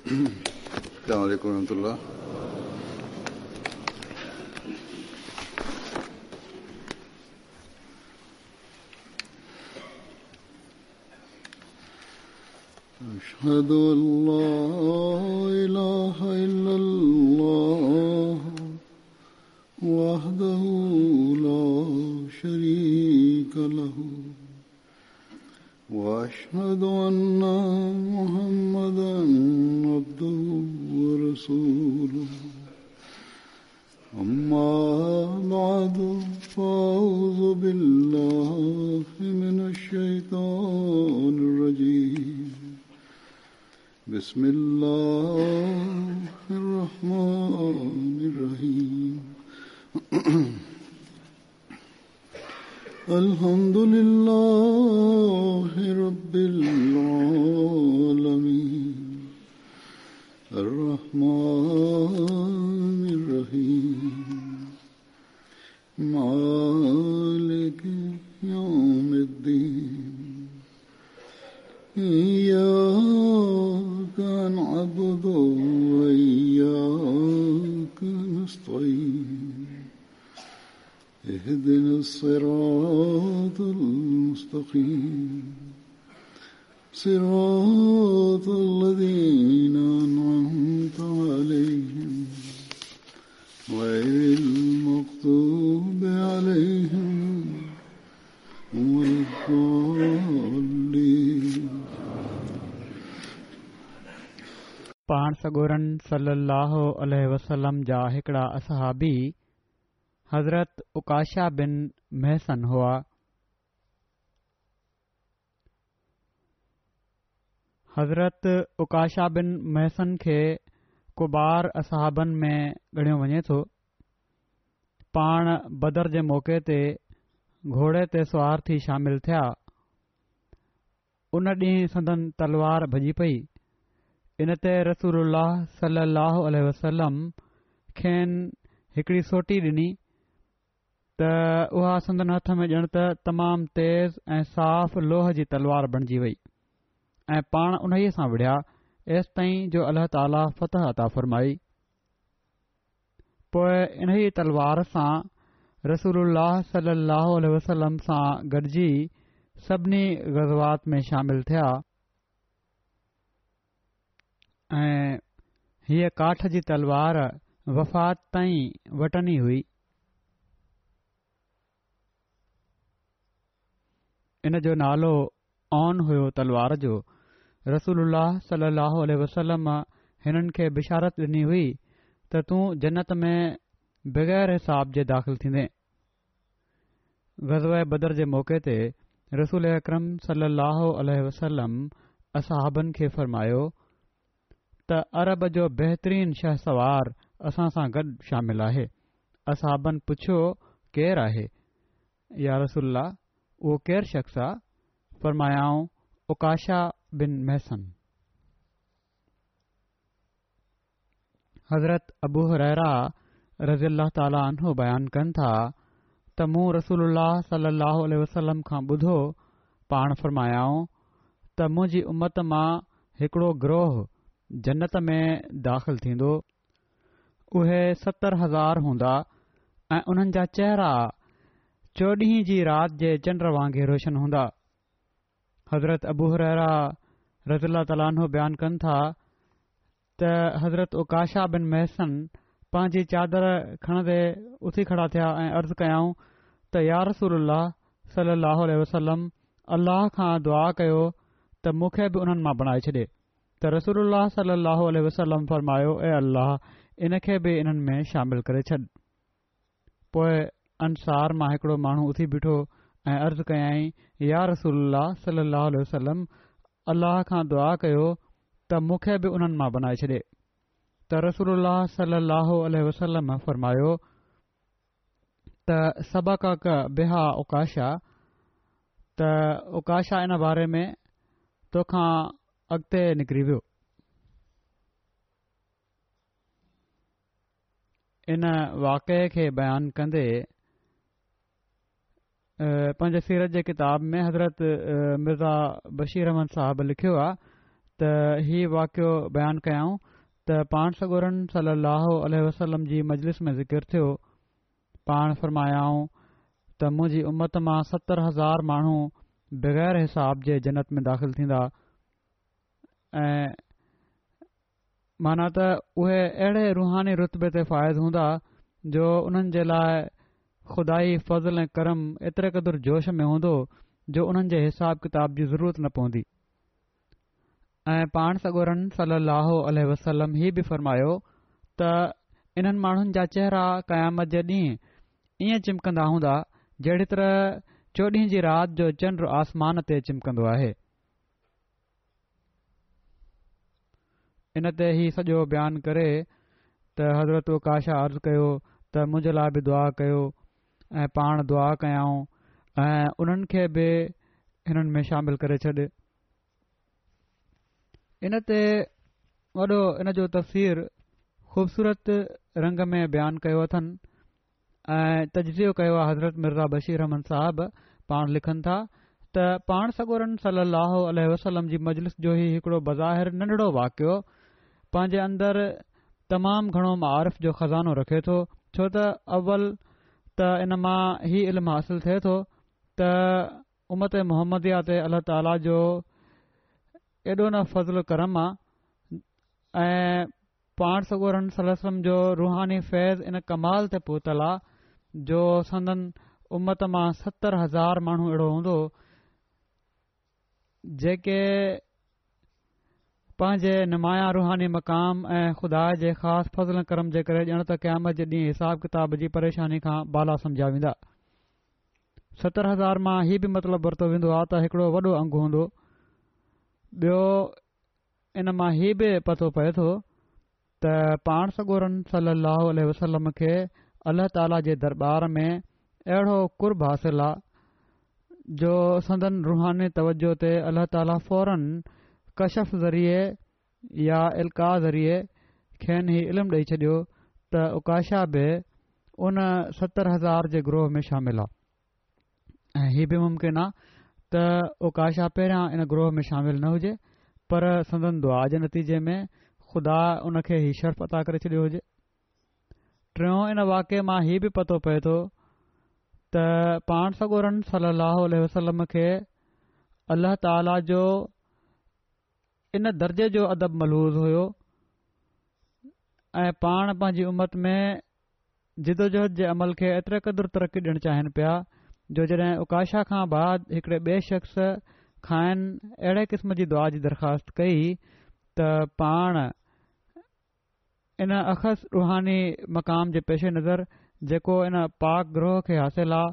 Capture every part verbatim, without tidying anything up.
السلام عليكم ورحمة الله. أشهد أن لا إله إلا الله وحده لا شريك له وأشهد أن محمدا عبده ورسوله. أما بعد فأعوذ بالله من الشيطان الرجيم. بسم الله الرحمن الرحيم. الحمد لله رب العالمين الرحمن الرحيم مالك يوم الدين إياك نعبد وإياك نستعين اهدنا الصراط المستقيم صراط الذين أنعمت عليهم غير المغضوب عليهم ولا الضالين. پاڻ سڳورن صلي الله عليه وسلم جا هڪڙا اصحابي حضرت عڪاشه بن محصن هئا. حضرت عڪاشه بن محصن کي ڪبار اصحابن ۾ ڳڻيو وڃي ٿو. پاڻ بدر جي موقعي تي گهوڙي تي سوار ٿي شامل ٿيا. ان ڏينهن سندن تلوار ڀڄي پئي. ان تي رسول الله صلي الله عليه وسلم کين هڪڙي سوٽي ڏني ته اها سندن هٿ ۾ ڄڻ ته تمام تيز ۽ صاف لوهه جي تلوار بڻجي وئي ۽ پاڻ انهيء سان وڙهيا ايستائين جو الله تعاليٰ فتح عطا فرمائي. پوءِ انهيء تلوار سان رسول الله صلي الله عليه وسلم سان گڏجي سڀني غزوات ۾ شامل ٿيا ۽ هيءَ ڪاٺ جي تلوار وفات تائين وٽن ئي هئي. ان جو نالو اون هيو تلوار جو. رسول الله صلي الله عليه وسلم هنن کي بشارت ڏني هئي ته تون جنت ۾ بغير حساب جي داخل ٿيندين. غزوه بدر جي موقعي تي رسول اڪرم صلي الله عليه وسلم اصحابن کي فرمايو ته عرب جو بهترين شهسوار اسان سان گڏ شامل آهي. اصحابن پڇيو ڪير آهي؟ يا رسول الله اهو ڪير شخص آ؟ فرمايائون عڪاشه بن محصن. حضرت ابو هريره رضي الله تعاليٰ عنه بيان ڪن ٿا ته مون رسول الله صلي الله عليه وسلم کان ٻڌو، پاڻ فرمايائون ته منهنجي امت مان هڪڙو گروهه جنت ۾ داخل ٿيندو، اهي ستر هزار هوندا ۽ انهن جا چهرا چوڏهين جي رات جي چنڊ وانگي روشن هوندا. حضرت ابو هريره رضي الله تعاليٰ عنه بيان ڪن ٿا ته حضرت عڪاشه بن محصن پنهنجي چادر کڻندي اٿي کڙا ٿيا ۽ عرض ڪيائون ته يا رسول الله صلي الله عليه وسلم الله کان دعا ڪيو ته مون کي به انهن مان بڻائي ڇڏي. ته رسول الله صلي الله عليه وسلم فرمايو اي الله ان کي به انهن ۾ شامل ڪري ڇڏ. پوءِ انصار مان هڪڙو ماڻهو اٿي بيٺو ۽ عرض ڪيائين يا رسول الله صلي الله عليه وسلم الله کان دعا ڪيو ته مون کي به انهن مان بڻائي ڇڏي. ته رسول الله صلي الله عليه وسلم فرمايو ته سبقڪ بها عڪاشه، ته عڪاشه ان باري ۾ توکان اڳتي نڪري ويو. ان واقعي کي بيان ڪندي پنهنجي سيرت جي ڪتاب ۾ حضرت مرزا بشير احمد صاحب لکيو آهي ته هي واقعو بيان ڪيائون ته پاڻ سڳورن صلي الله عليه وسلم جي مجلس ۾ ذڪر ٿيو. پاڻ فرمايائون ته منهنجي امت مان ستر هزار ماڻهو بغير حساب جي جنت ۾ داخل ٿيندا ۽ معنيٰ ته اهي اهڙي روحاني رتبي تي فائز هوندا جو انهن جي لاء خدائي فضل ۽ ڪرم ايتري قدر جوش ۾ هوندو جو انهن جي حساب ڪتاب جي ضرورت نه پوندي. ۽ پاڻ سڳورن صلي الله عليه وسلم هي به فرمايو ته انهن ماڻهن جا چهرا قيامت جي ڏينهن ائين چمڪندا هوندا جهڙي طرح چوڏهين جي رات جو چنڊ آسمان تي چمڪندو آهي. ان تي هي سڄو بيان ڪري ته حضرت عڪاشه عرض ڪيو ته منهنجي لاء به دعا ڪيو ۽ پاڻ دعا ڪيائون ۽ انهن کي به هنن ۾ شامل ڪري ڇڏ. ان تي وڏو ان جو تفسير خوبصورت رنگ ۾ بيان ڪيو اٿن ۽ تجزيو ڪيو آهي حضرت مرزا بشير احمد صاحب. پاڻ لکن ٿا ته پاڻ سڳورن صلي الله عليه وسلم جي مجلس جو هي هڪڙو بظاهر ننڍڙو واقعو پنهنجي اندر تمام گهڻو معارف جو خزانو رکي ٿو، ڇو ته اول ته ان مان هي علم حاصل ٿئي ٿو ته امت محمديه تي الله تعاليٰ جو ايڏو نه فضل ڪرم آ ۽ پاڻ سڳورن صلي الله عليه وسلم جو روحاني فيض ان ڪمال تي پهتل آ جو سندن امت مان ستر هزار ماڻهو اهڙو هوندو جيڪي پنهنجي نمايان روحاني مقام ۽ خدا جي خاص فضل ڪرم جي ڪري ڄڻ ته قيامت جي ڏينهن حساب ڪتاب جي پريشاني کان بالا سمجهيا ويندا. ستر هزار مان هي به مطلب ورتو ويندو آ ته هڪڙو وڏو انگ هوندو. ٻيو ان مان هي به پتو پئي ٿو ته پاڻ سڳورن صلي الله عليه وسلم کي الله تعاليٰ جي درٻار ۾ اهڙو قرب حاصل آ جو سندن روحاني توجه تي الله تعاليٰ فوراً ڪشف ذريعي يا القاء ذريعي کين هي علم ڏئي ڇڏيو ته عڪاشه به ان ستر هزار جي گروهه ۾ شامل آ ۽ هي به ممڪن آ ته عڪاشه پهريان ان گروهه ۾ شامل نه هجي پر سندن دعا جي نتيجي ۾ خدا ان کي هي شرف عطا ڪري ڇڏيو هجي. ٽيون ان واقعي مان هي به پتو پئي ٿو ته پاڻ سڳورن صلي الله عليه وسلم کي الله تعاليٰ جو ان درجي جو ادب ملحوظ هيو ۽ پاڻ پنهنجي امت ۾ جدوجهد جي عمل کي ايتري قدر ترقي ڏيڻ چاهين پيا جو جڏهن عڪاشه کان بعد هڪڙي ٻئي شخص کانئن اهڙي قسم جي دعا جي درخواست ڪئي ته پاڻ ان اخص روحاني مقام جي پيش نظر جيڪو ان پاڪ گروهه کي حاصل آ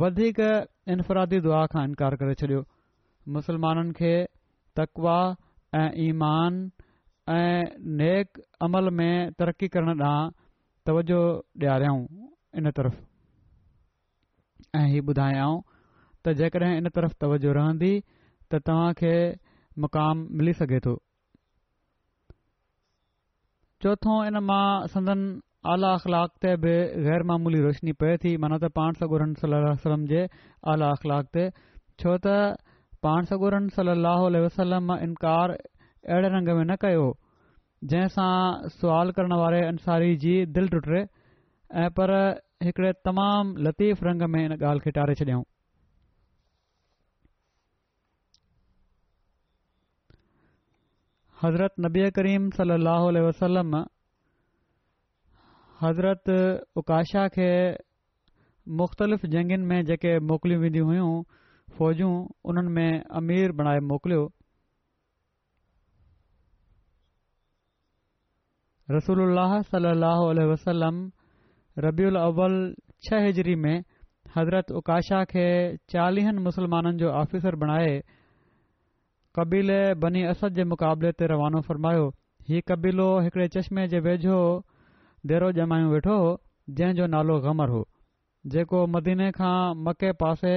وڌيڪ انفرادي دعا کان انڪار ڪري ڇڏيو. مسلمانن کي تقويٰ ۽ ايمان ۽ نيڪ عمل ۾ ترقي ڪرڻ ڏانهن توجه ڏياريائون ان طرف ۽ هي ٻڌايائون ته جيڪڏهن ان طرف توجه رهندي ته توهان کي مقام ملي سگهي ٿو. چوٿون ان مان سندن اعليٰ اخلاق تي به غير معمولي روشني پئي ٿي، معنيٰ ته پاڻ سڳورن صلي الله عليه وسلم جي اعليٰ اخلاق تي، ڇو ته پاڻ سڳورن صلي الله عليه وسلم انڪار اهڙي رنگ ۾ نه ڪيو جنهن سان سوال ڪرڻ واري انصاري جي دل ٽٽي ۽ پر هڪڙي تمام لطيف رنگ ۾ ان ڳالهه کي ٽاري ڇڏيائون. حضرت نبي ڪريم صلي الله عليه وسلم حضرت عڪاشه کي مختلف جنگين ۾ جيڪي موڪليون وينديون هيون فوجون انهن ۾ امير بڻائي موڪليو. رسول الله صلي الله عليه وسلم ربيع الاول ڇهه هجري ۾ حضرت عڪاشه کي چاليهن مسلمانن جو آفيسر بڻائي قبيلي بني اسد جي مقابلي تي روانو فرمايو. هي قبيلو هڪڙي چشمي جي ويجهو ديرو ڄمايون ويٺو هو، جنهن جو نالو غمر هو، جيڪو مديني کان مڪي پاسي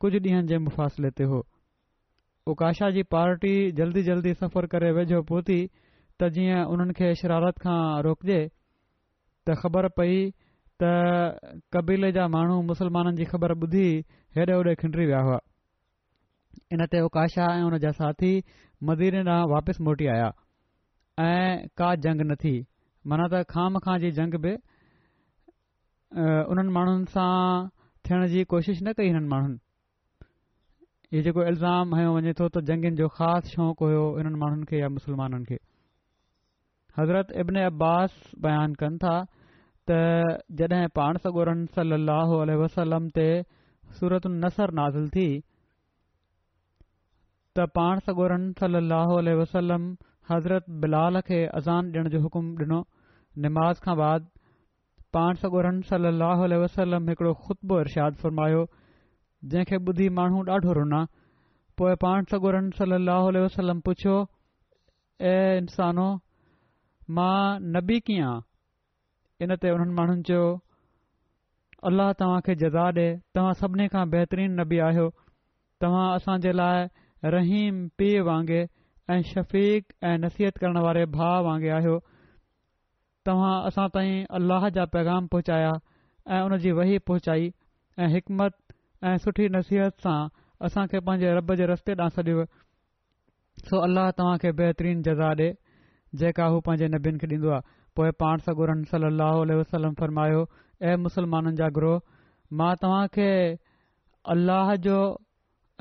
ڪجهه ڏينهن جي مفاصلي تي هو. عڪاشه جي پارٽي جلدي جلدي سفر ڪري ويجهو پهتي ته جيئن انهن کي شرارت کان روڪجي ته خبر پئي ته قبيلي جا ماڻهو مسلمانن جي خبر ٻڌي هيڏي هوڏي کنڊري ويا هئا. ان تي عڪاشه ۽ ان جا ساٿي مديني ڏانهن واپس موٽي آيا ۽ ڪا جنگ نه ٿي. معنيٰ ته خوامخواه جي جنگ به انهن ماڻهن سان ٿيڻ جي ڪوشش نه ڪئي. هنن ماڻهن هي جيڪو الزام هنيو وڃي ٿو ته جنگين جو خاص شوق هيو انهن ماڻهن کي يا مسلمانن کي. حضرت ابن عباس بيان ڪن ٿا ته جڏهن پاڻ سڳورن صلي الله عليه وسلم تي سورة النصر نازل ٿي ته پاڻ سڳورن صلي الله عليه وسلم حضرت بلال کي اذان ڏيڻ جو حڪم ڏنو. نماز کان بعد پاڻ سڳورن صلي الله عليه وسلم هڪڙو خطبو ارشاد فرمايو، جنهن کي ٻڌي ماڻهو ڏاڍو رنا. پوء پاڻ سڳورن صلي الله عليه وسلم پڇيو، اي انسانو، مان نبي ڪيئن آن؟ ان تي انهن ماڻهن چيو، الله توهان کي جزا ڏي، توهان سڀني کان بهترين نبي آهيو. توهان اسان جي لاء رحيم پيء وانگي ۽ شفيق ۽ نصيحت ڪرڻ واري ڀاء وانگي آهيو. توهان اسان تائين الله جا پيغام پهچايا ۽ ان جي وحي پهچائي ۽ حڪمت ۽ سٺي نصيحت سان اسان کي پنهنجي رب جي رستي ڏانهن سڏيو، سو الله توهان کي بهترين جزا ڏي، جيڪا هو پنهنجي نبين کي ڏيندو آهي. پوء پاڻ سڳورن صلي الله عليه وسلم فرمايو، اي مسلمانن جا گروهه، مان توهان کي الله جو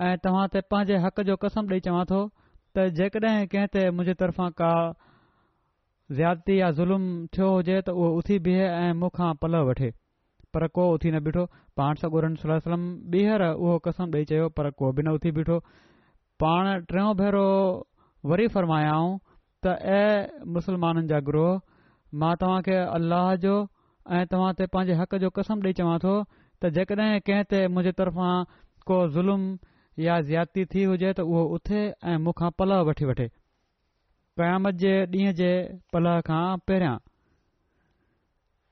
۽ توهان تي پنهنجي حق جو قسم ڏئي چوان ٿو ته جيڪڏهن ڪنهن تي منهنجي طرفان ڪا زيادتي يا ظلم ٿيو هجي ته اهو اٿي بيهي ۽ مون کان پلئه وٺي. پر ڪو اٿي نه بيٺو. پاڻ سڳورن صلي الله عليه وسلم ٻيهر اهو قسم ڏئي چيو، پر ڪو به نه اٿي بيٺو. پاڻ ٽيون ڀيرو وري فرمايائون ته اي مسلمانن جا گروهه، مان توهان کي الله جو ۽ توهان تي پنهنجي حق جو قسم ڏئي چوان ٿو ته جيڪڏهن ڪنهن تي منهنجي طرفان ڪو ظلم يا زيادتي ٿي هجي ته اهو اٿي ۽ مون کان پلئه وٺي وٺي، قيامت جي ڏينهن جي پلئه کان پهريان.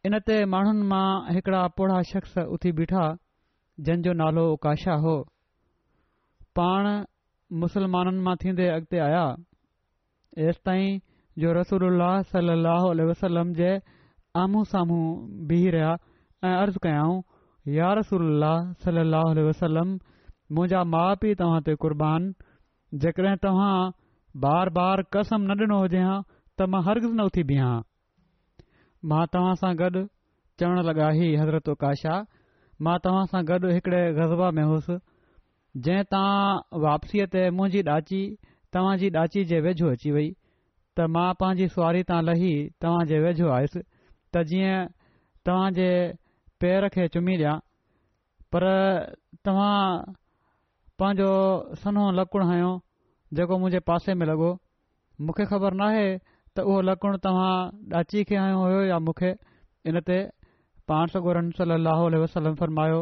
ان تي ماڻهن مان هڪڙا پوڙها شخص اٿي بيٺا، جن جو نالو عڪاشه هو. پاڻ مسلمانن مان ٿيندي اڳتي آيا، ايستائين جو رسول الله صلي الله عليه وسلم جي آمهون سامهون بيهي رهيا ۽ عرض ڪيائون، يا رسول الله صلي الله عليه وسلم، منهنجا ماء پيء توهان تي قربان، جيڪڏهن توهان بار بار قسم نه ڏنو هجي ها ته مان هرگز نه اٿي بيهان ها. مان توهان سان گڏ، چوڻ لڳا هي حضرت عڪاشه، مان توهان سان گڏ هڪڙي غزوه ۾ هوس، جنهن تان واپسيء تي منهنجي ڏاچي توهان جي ڏاچي جي ويجهو اچي وئي ته مان پنهنجي سواري تان لهي توهان جي ويجهو آيس ته جيئن توهان جي پير کي چمي ڏيان، پر توهان پنهنجو سنهو لڪڻ هنيو جيڪو منهنجي پاسي ۾ لڳو. مون کي خبر ناهي ته اهو لڪڻ توهان ڏاچي کي هنيو هيو يا مون کي. ان تي پاڻ سڳورن صلي الله عليه وسلم فرمايو،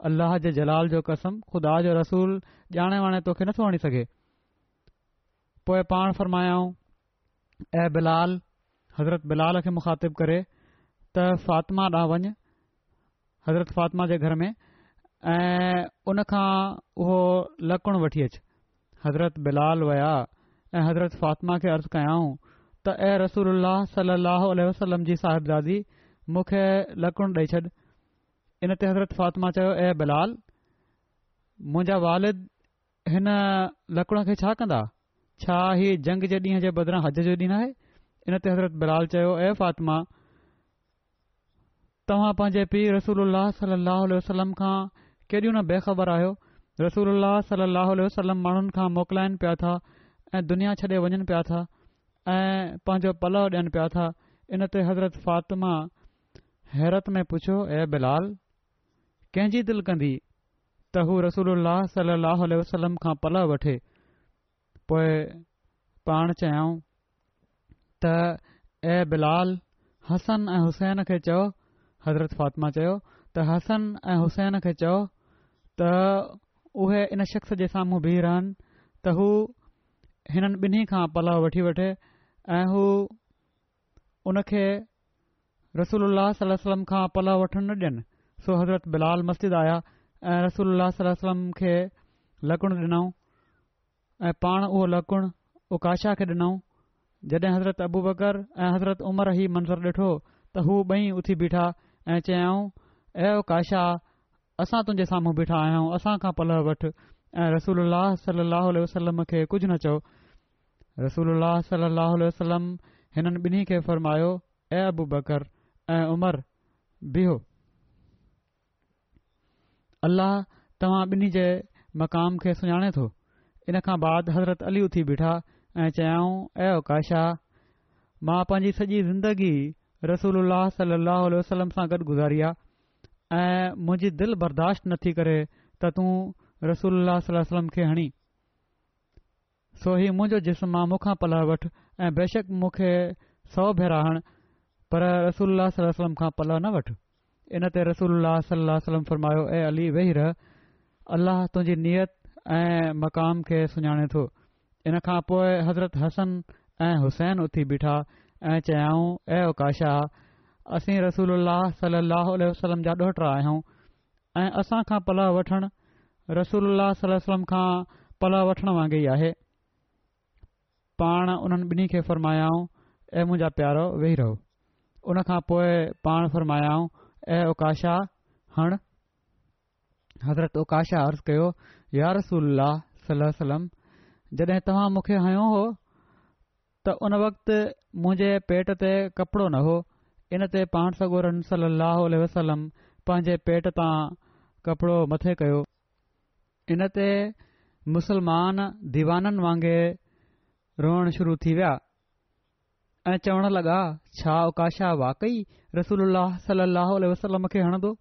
الله جي جلال جو قسم، خدا جو رسول ڄاڻي واڻي توکي نٿو هڻي سگهي. پوء پاڻ فرمايائون، اي بلال، حضرت بلال کي مخاطب ڪري، ته فاطمه ڏانهن وڃ، حضرت فاطمه جي گهر ۾، ۽ ان کان اهو لڪڻ وٺي اچ. حضرت بلال ويا ۽ حضرت فاطمه کي عرض ڪيائون ته اي رسول الله صلي الله عليه وسلم جي صاحبزادي، مون کي لڪڻ ڏئي ڇڏ. ان تي حضرت فاطمه چيو، اي بلال، منهنجا والد هن لڪڻ کي ڇا ڪندا؟ ڇا هي جنگ جي ڏينهن جي بدران حج جو ڏينهن آهي؟ ان تي حضرت بلال چيو، اي فاطمه، توهان پنهنجي پيء رسول الله صلي الله عليه وسلم کان ڪيڏيون نه بي خبر آهيو. رسول الله صلي الله عليه وسلم ماڻهن کان موڪلائن پيا ٿا ۽ دنيا ڇڏي وڃن پيا ٿا ۽ پنهنجو پلئه ڏين پيا ٿا. ان تي حضرت فاطمه حيرت ۾ پڇيو، اي بلال! ڪنهن جي دل ڪندي ته هو رسول الله صلي الله عليه وسلم کان پلئه وٺي؟ پوء پاڻ چيائون ته اي بلال! حسن ۽ حسين کي چئو، حضرت فاطمه چيو ته حسن ۽ حسين کي چئو ته اهي ان شخص جي سامهون بيهي رهن ته هو هنن ٻنهي کان پلئه وٺي وٺي ۽ هو ان کي رسول الله صلي الله عليه وسلم کان پلئه وٺڻ نه ڏين. سو حضرت بلال مسجد آيا ۽ رسول الله صلي الله عليه وسلم کي لڪڻ ڏنائون ۽ پاڻ اهو لڪڻ عڪاشه کي ڏنائون. جڏهن حضرت ابوبڪر ۽ حضرت عمر هي منظر ڏٺو ته هو ٻئي اٿي بيٺا ۽ چيائون، اي عڪاشه! اسان تنهنجي سامهون بيٺا آهيون، اسان کان پلئه وٺ. ۽ رسول الله صلي الله عليه وسلم کي ڪجهه نه چئو. رسول الله صلي الله عليه وسلم هنن ٻنهي کي فرمايو، اي ابوبڪر ۽ عمر، بيهو، الله توهان ٻنهي جي مقام کي سڃاڻي ٿو. ان کان بعد حضرت علي اٿي بيٺا ۽ چيائون، اي عڪاشه، مان پنهنجي سڄي زندگي رسول الله صلي الله عليه وسلم سان گڏ گذاري آ ۽ منهنجي دل برداشت نٿي ڪري ته تون رسول الله صلي الله عليه وسلم کي هڻين، سو هي منهنجو جسم آ، مون کان پلئه وٺ ۽ بيشڪ مون کي سؤ ڀيرا هڻ، پر رسول الله صلي الله عليه وسلم کان پلئه نه وٺ. ان تي رسول الله صلي الله عليه وسلم فرمايو، اي علي، ويهي رهه، الله تنهنجي نيت ۽ مقام کي سڃاڻي ٿو. ان کان پوء حضرت حسن ۽ حسين اٿي بيٺا ۽ چيائون، اي عڪاشه، اسين رسول الله صلي الله عليه وسلم جا ڏوهٽا آهيون ۽ اسان کان پلئه وٺڻ رسول الله صلي الله عليه وسلم کان پلئه وٺڻ وانگي ئي آهي. پاڻ انهن ٻنهي کي فرمايائون، اي منهنجا پيارو، ويهي رهو. ان کان پوء پاڻ فرمايائون، اي عڪاشه، هڻ. حضرت عڪاشه عرض ڪيو، يا رسول الله صلي الله عليه وسلم، جڏهن توهان مون کي هنيو هو ته ان وقت منهنجي پيٽ تي ڪپڙو نه هو. ان تي پاڻ سڳورن صلي الله عليه وسلم پنهنجي پيٽ تان ڪپڙو مٿي ڪيو. ان تي مسلمان ديوانن وانگي روئڻ شروع ٿي ويا ۽ چوڻ لڳا، ڇا عڪاشه واقعي رسول الله صلي الله عليه وسلم کي هڻندو؟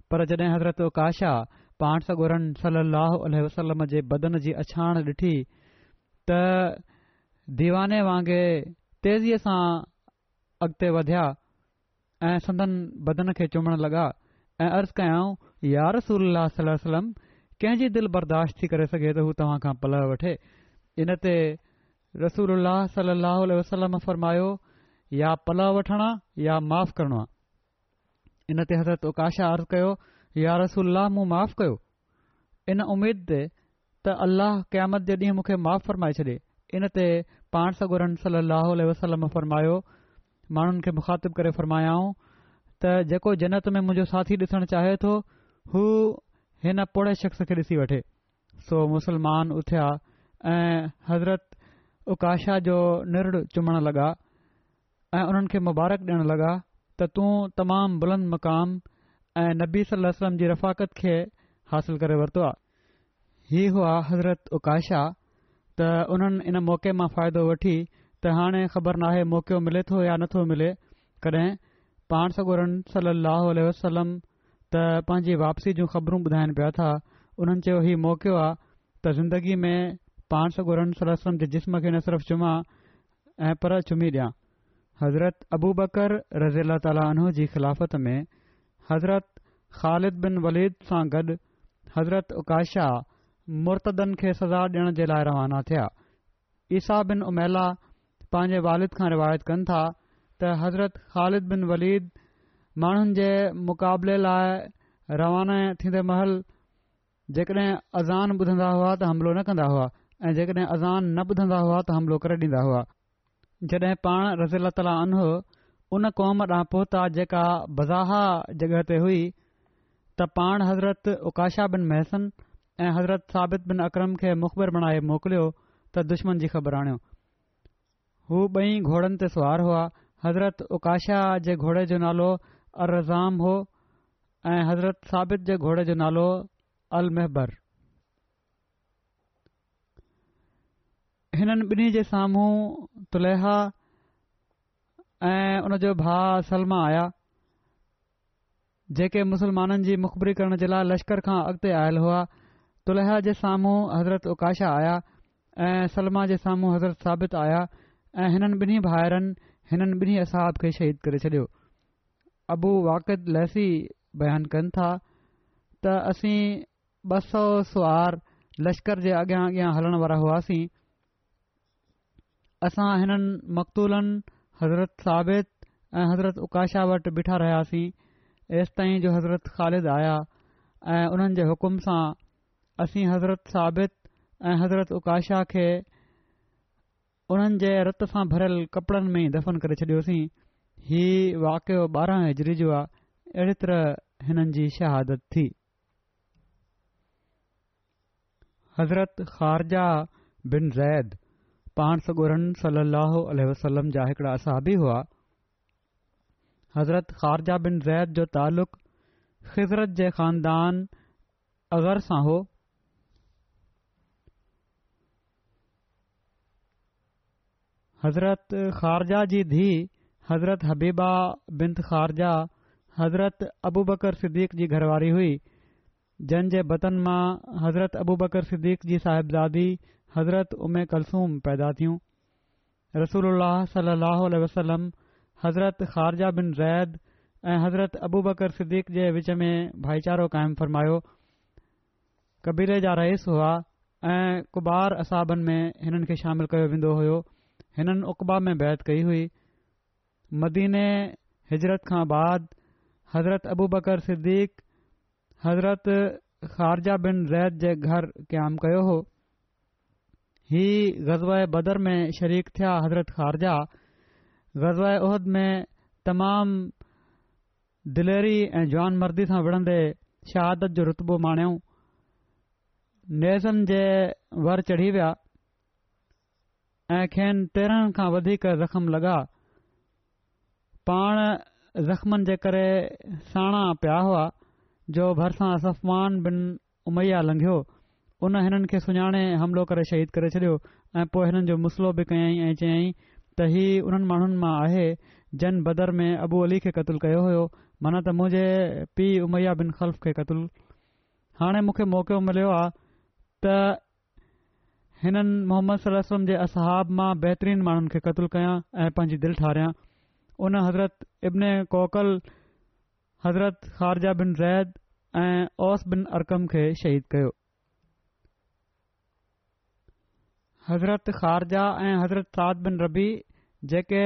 پر جڏهن حضرت عڪاشه پاڻ سڳورن صلي الله عليه وسلم جي بدن جي اڇاڻ ڏٺي ته ديواني وانگي تيزيء سان اڳتي وڌيا ۽ سندن بدن کي چمڻ لڳا ۽ عرض ڪيائون، يا رسول الله صلي الله عليه وسلم، ڪنهن جي دل برداشت ٿي ڪري سگهي ته هو توهان کان پلئه وٺي؟ ان تي رسول الله صلي الله عليه وسلم فرمايو، يا پلئه وٺڻ آ يا معاف ڪرڻو آ. ان تي حضرت عڪاشه عرض ڪيو، يا رسول الله، مون معاف ڪيو، ان اميد تي ته الله قيامت جي ڏينهن مون کي معاف فرمائي ڇڏي. ان تي پاڻ سڳورن صلي الله عليه وسلم فرمايو، ماڻهن کي مخاطب ڪري فرمايائون ته جيڪو جنت ۾ منهنجو ساٿي ڏسڻ چاهي ٿو، هو هن پوڙهي شخص کي ڏسي وٺي. سو مسلمان اٿيا ۽ حضرت عڪاشه جو نرڙ چمڻ لڳا ۽ انهن کي مبارڪ ڏيڻ لڳا ته تون تمام بلند مقام ۽ نبي صلي الله عليه وسلم جي رفاقت کي حاصل ڪري ورتو آ. هي هئا حضرت عڪاشه ته انهن ان موقعي مان فائدو وٺي ته هاڻي خبر ناهي موقعو ملي ٿو يا نٿو ملي ڪڏهن پاڻ سڳورن صلي الله عليه وسلم ته پنهنجي واپسي جون خبرون ٻڌائن پيا ٿا. انهن چيو هي موقعو آ ته زندگي ۾ پاڻ سڳورن صلي الله عليه وسلم جي جسم کي نه صرف چمان ۽ پر چمي ڏيان. حضرت ابوبڪر رضي الله تعالٰي عنه جي خلافت ۾ حضرت خالد بن وليد سان گڏ حضرت عڪاشه مرتدن کي سزا ڏيڻ جي لاء روانا ٿيا. عيسيٰ بن عميله پنهنجي والد کان روايت ڪن ٿا ته حضرت خالد بن وليد ماڻهن جي مقابلي لاء روانا ٿيندي مهل جيڪڏهن اذان ٻڌندا هئا ته حملو نه ڪندا هئا ۽ جيڪڏهن اذان نه ٻڌندا هئا ته حملو ڪري ڏيندا هئا. جڏهن پاڻ رضي الله تعالٰي عنه ان قوم ڏانهن پهتا جيڪا بزاحه جڳهه تي هئي ته پاڻ حضرت عڪاشه بن محصن ۽ حضرت ثابت بن اقرم کي مخبر بڻائي موڪليو ته دشمن جي خبر آڻيو. هو ٻئي گهوڙن تي سوار هئا. حضرت عڪاشه جي گهوڙي جو نالو الرزام هو ۽ حضرت ثابت جي گهوڙي جو نالو المحبر. هنن ٻنهي جي سامهون طليحه ۽ ان جو ڀاء سلمه آيا، جيڪي مسلمانن جي مخبري ڪرڻ جي لاء لشڪر کان اڳتي آيل هئا. طليحه جي سامهون حضرت عڪاشه آيا ۽ سلمه جي سامهون حضرت ثابت آيا ۽ هنن ٻنهي ڀائرن هنن ٻنهي اصحاب کي شهيد ڪري ڇڏيو. ابو واقد ليثي بيان ڪن ٿا ته اسين ٻه سؤ سوار لشڪر جي اڳيان اڳيان هلڻ وارا هئاسين. اسان هنن مقتولن حضرت ثابت ۽ حضرت عڪاشه وٽ بيٺا رهياسين ايستائين جو حضرت خالد آيا ۽ انهن جي حڪم سان اسين حضرت ثابت ۽ حضرت عڪاشه کي انهن جي رت سان ڀريل ڪپڙن ۾ ئي دفن ڪري ڇڏيوسين. هي واقعو ٻارهن هجري جو آ. اهڙي طرح هنن جي شهادت ٿي. حضرت خارجه بن زيد پاڻ سڳورن صلي الله عليه وسلم جا هڪڙا اصحابي هئا. حضرت خارجه بن زيد جو تعلق خزرج جي خاندان اغر سان هو. حضرت خارجه جي ڌيء حضرت حبيبه بنت خارجه حضرت ابوبڪر صديق جي گهرواري هئي، جن جي بطن مان حضرت ابوبڪر صديق جي صاحبزادي حضرت ام ڪلثوم پيدا ٿيون. رسول الله صلي الله عليه وسلم حضرت خارجه بن زيد ۽ حضرت ابوبڪر صديق جي وچ ۾ ڀائيچارو قائم فرمايو. قبيلي جا رئيس هئا ۽ ڪبار اصحابن ۾ هنن کي شامل ڪيو ويندو هيو. هنن عقبه ۾ بيعت ڪئي هئي. مديني هجرت کان بعد حضرت ابوبڪر صديق حضرت خارجه بن زيد جي گهر قيام ڪيو هو. هي غزوه بدر ۾ شريڪ ٿيا. حضرت خارجه غزوه احد ۾ تمام دليري ۽ جوان مردي سان وڙهندي شهادت جو رتبو ماڻيو. نيزن جي ور چڙهي ويا ۽ کين تيرهن کان وڌيڪ زخم لڳا. پاڻ زخمن جي ڪري ساڻا پيا هئا جو ڀرسان صفوان بن اميه لنگهيو. ان هنن کي سڃاڻي حملو ڪري شهيد ڪري ڇڏيو ۽ پوء هنن جو مثلو به ڪيائين ۽ چيائين ته هي انهن ماڻهن مان آهي جن بدر ۾ ابو علي کي قتل ڪيو هيو، معنيٰ ته منهنجي پيء اميه بن خلف کي قتل. هاڻي مون کي موقعو مليو آ ته هنن محمد صلي الله عليه وسلم جي اصحاب مان بهترين ماڻهن کي قتل ڪيان ۽ پنهنجي دل ٺاريان. ان حضرت ابن قوقل، حضرت خارجه بن زيد ۽ اوس بن ارقم کي شهيد ڪيو. حضرت خارجه ۽ حضرت سعد بن ربيع جيڪي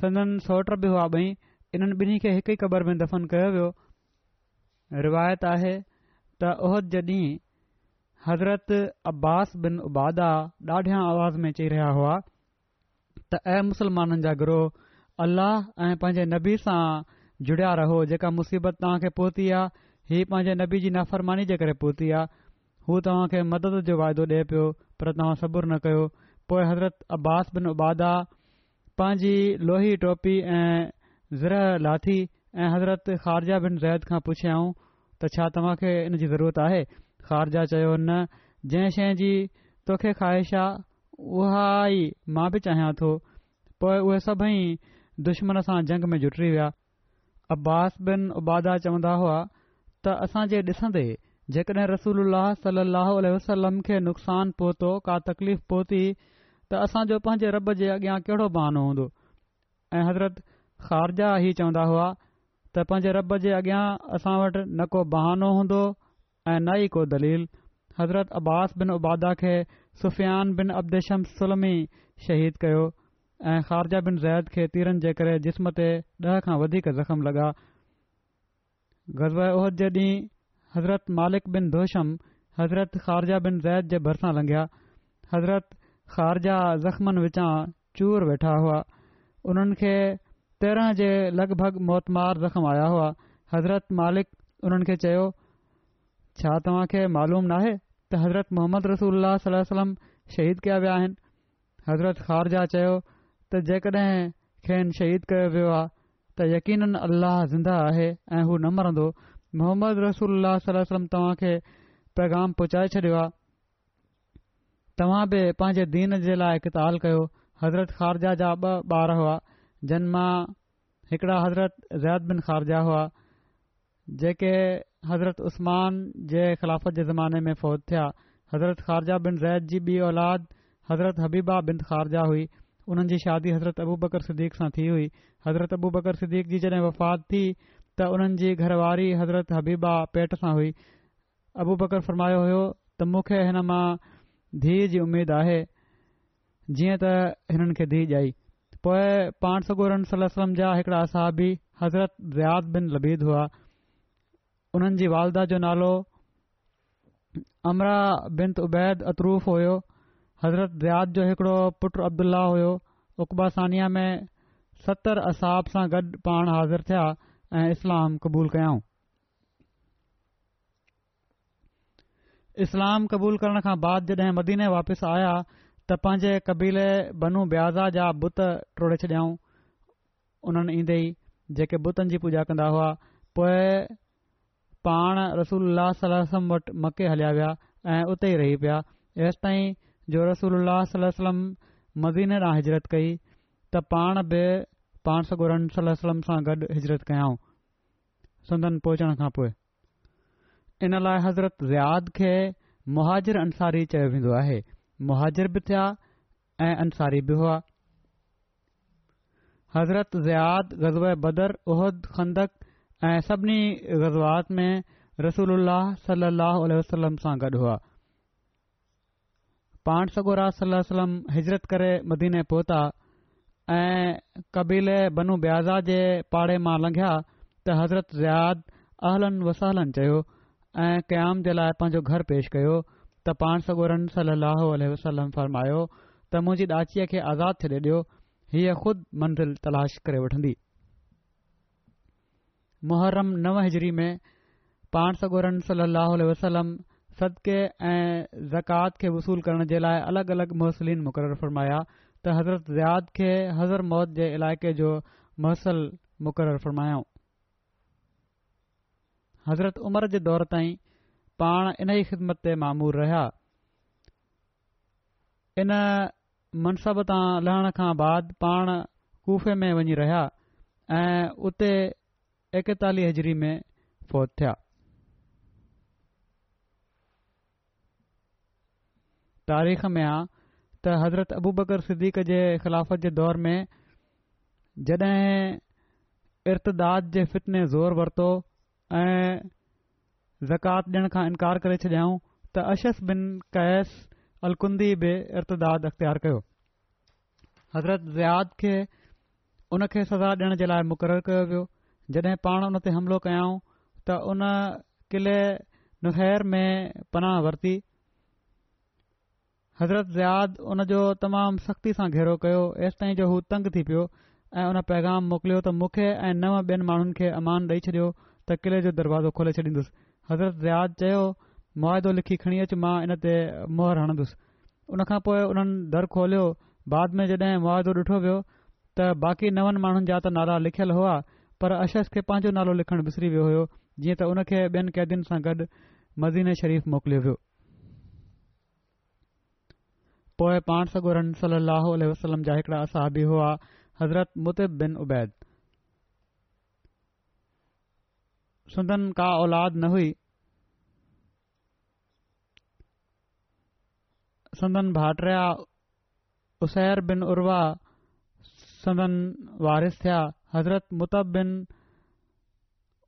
سندن سؤٽ به هئا ٻئي، انهن ٻنهي کي هڪ ئي قبر ۾ دفن ڪيو ويو. روايت آهي ته احد جي ڏينهن حضرت عباس بن عباده ڏاڍيان آواز ۾ چئي رهيا هئا ته اي مسلمانن جا گروهه، الله ۽ پنهنجي نبي سان جڙيا رهو، جيڪا مصيبت توهان کي پهتي آ هي پنهنجي نبي جي نافرماني جي ڪري پهتي آ. هو توهان کي مدد جو واعدو ڏئي پيو پر توهان صبر نه ڪيو. پوء حضرت عباس بن عباده پنهنجي لوهي ٽوپي ۽ زرهه لاٿي ۽ حضرت خارجه بن زيد کان پڇيائون ته ڇا توهان کي ان جي ضرورت آهي؟ خارجه چيو نه، جنهن شيء جي توکي خواهش آ اها ئي مان به چاهيان ٿو. پوء اهي سڀئي دشمن سان جنگ ۾ جٽي ويا. عباس بن عباده چوندا هئا ته اسان جي ڏسندي جيڪڏهن رسول الله صلي الله عليه وسلم کي نقصان پهتو، ڪا تڪليف پهتي ته اسان جو پنهنجي رب جي اڳيان ڪهڙو بهانو هوندو؟ ۽ حضرت خارجه هي چوندا هئا ته پنهنجي رب جي اڳيان اسان وٽ نه ڪو بهانو هوندو ۽ نه ئي ڪو دليل. حضرت عباس بن عباده کي سفيان بن عبد شمس سلمي شهيد ڪيو ۽ خارجه بن زيد کي تيرن جي ڪري جسم تي ڏهه کان وڌيڪ زخم لڳا. غزوه احد جي ڏينهن حضرت مالڪ بن دخشم حضرت خارجه بن زيد جي ڀرسان لنگهيا. حضرت خارجه زخمن وچان چور ويٺا هئا. انهن کي تيرهن جي لڳ ڀڳ موتمار زخم آيا هئا. حضرت مالڪ انهن کي چيو، ڇا توهان کي معلوم ناهي ته حضرت محمد رسول الله صلي الله عليه وسلم شهيد ڪيا ويا آهن؟ حضرت خارجه چيو ته جيڪڏهن کين شهيد ڪيو ويو آ ته يقيناً الله زنده آهي ۽ هو نه مرندو. محمد رسول الله صلي الله عليه وسلم توهان کي پيغام پهچائي ڇڏيو آ، توهان به پنهنجي دين جي لاء قتال ڪيو. حضرت خارجه جا ٻه ٻار هئا، جن مان هڪڙا حضرت زيد بن خارجه هئا، جيڪي حضرت عثمان جي خلافت جي زماني ۾ فوت ٿيا. حضرت خارجه بن زيد جي ٻي اولاد حضرت حبيبه بنت خارجه هئي. انهن جي شادي حضرت ابوبڪر صديق سان ٿي هئي. حضرت ابوبڪر صديق جي جڏهن وفات ٿي ته انهن جي گهر واري حضرت حبيبه پيٽ سان هئي. ابوبڪر فرمايو هيو ته مون کي هن مان ڌيء جي اميد آهي، جيئن ته هنن کي ڌيء ڄائي. پوء پاڻ سڳورن صلي الله عليه وسلم جا هڪڙا اصحابي حضرت زياد بن لبيد هئا. انهن جي والده جو نالو عمره بنت عبيد عطروف هيو. حضرت زياد جو هڪڙو پٽ عبدالله هيو. عقبه ثانيه ۾ ستر اصحاب سان گڏ پاڻ حاضر ٿيا ۽ اسلام قبول ڪيائون. اسلام قبول ڪرڻ کان بعد جڏهن مديني واپس آيا ته پنهنجي قبيلي بنو بياضه جا بت ٽوڙي ڇڏيائون. انهن ايندي ئي جيڪي بتن جي پوڄا ڪندا هئا، پوء پاڻ رسول الله صلي الله عليه وسلم وٽ مڪي هليا ويا ۽ اتي ئي رهي پيا، ايستائين جو رسول الله صلي الله عليه وسلم مديني ڏانهن هجرت ڪئي ته پاڻ به پاڻ سڳورن صلي الله عليه وسلم سان گڏ هجرت ڪيائون. سندن پهچڻ کان پوء ان لاء حضرت زياد کي مهاجر انصاري چيو ويندو آهي. مهاجر به ٿيا ۽ انصاري به هئا. حضرت زياد غزوه بدر، احد، خندق ۽ سڀني غزوات ۾ رسول الله صلي الله عليه وسلم سان گڏ هئا. پاڻ سڳورا صلي الله عليه وسلم هجرت ڪري مديني پهتا ۽ قبيلي بنو بياضه جي پاڙي مان لنگهيا ته حضرت زياد اهلا وسهلا چيو ۽ قيام جي لاء پنهنجو گهر پيش ڪيو ته پاڻ سڳورن صلي الله عليه وسلم فرمايو ته منهنجي ڏاچيء کي آزاد ڇڏي ڏيو، هيء خود منزل تلاش ڪري وٺندي. محرم نو هجري ۾ پاڻ سڳورن صلي الله عليه وسلم صدقي ۽ زڪوات کي وصول ڪرڻ جي لاء الڳ الڳ محصلين مقرر فرمايا ته حضرت زياد کي حضرموت جي علائقي جو محصل مقرر فرمايائون. حضرت عمر جي دور تائين پاڻ انهي خدمت تي مامور رهيا. ان منصب تان لهڻ کان بعد پاڻ ڪوفي ۾ وڃي رهيا ۽ اتي ايڪيتاليهه هجري ۾ فوت ٿيا. تاريخ ۾ آ ته حضرت ابوبڪر صديق جي خلافت جي دور ۾ جڏهن ارتداد جي فتني زور ورتو ۽ زڪوات ڏيڻ کان انڪار ڪري ڇڏيائون ته اشعث بن قيس الڪندي به ارتداد اختيار ڪيو. حضرت زياد کي ان کي سزا ڏيڻ جي لاء مقرر ڪيو ويو. جڏهن پاڻ ان تي حملو ڪيائون ته ان قلعي نخير ۾ پناهه ورتي. حضرت زياد ان جو تمام سختي سان گهيرو ڪيو، ايستائين جو هو تنگ ٿي پيو ۽ ان پيغام موڪليو ته مون کي ۽ نو ٻين ماڻهن کي امان ڏئي ڇڏيو ته قلعي جو دروازو کولي ڇڏيندس. حضرت زياد چيو، معاهدو لکي کڻي اچ مان ان تي مهر هڻندس. ان کان پوء انهن در کوليو، بعد ۾ جڏهن معاهدو ڏٺو ويو ته باقي نون ماڻهن جا ته نالا لکيل هئا پر اشعث کي پنهنجو نالو لکڻ وسري ويو هيو، جيئن ته ان کي ٻين قيدين سان گڏ مديني شريف موڪليو ويو. پوء پاڻ سڳورن صلي الله عليه وسلم جا هڪڙا اصحابي هئا حضرت مطعم بن عبيد، سندن ڪا اولاد نه هئي. سندن ڀائٽيا عسير بن عروه سندن وارث ٿيا. حضرت مطعم بن